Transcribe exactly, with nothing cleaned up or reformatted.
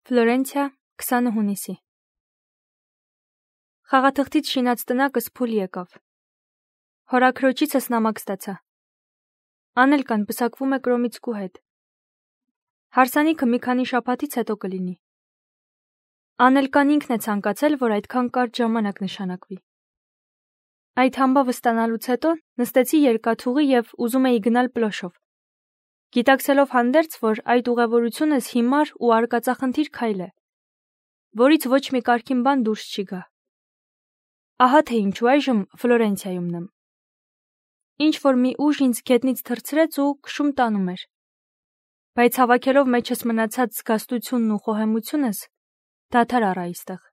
Ֆլորենցիա, քսանը հունիսի։ Խաղաթղթից շինած տնակս փուլ եկավ։ Հորաքրոջիցս նամակ ստացա։ Անելկան պսակվում է կրոմիցկու հետ։ Հարսանիքը մի քանի շաբաթից հետո կլինի։ Անելկան ինքն է ցանկացել, որ այդքան կարճ ժամանակ նշանակվի։ Այդ համբավը ստանալուց հետո նստեցի երկաթուղի և ուզում էի գնալ Պլոշով։ Գիտակցելով հանդերձ, որ այդ ուղևորությունս հիմար ու արկածախնդիր քայլ է, որից ոչ մի կարգին բան դուրս չի գա։ Ահա թե ինչու այժմ Ֆլորենցիայումն եմ։ Ինչ որ մի ուժ ինձ գետնից թռցրեց ու քշում տանում էր։ Բայց հավաքելով մեջս մնացած զգաստությունն ու խոհեմությունս, դադար առա այստեղ։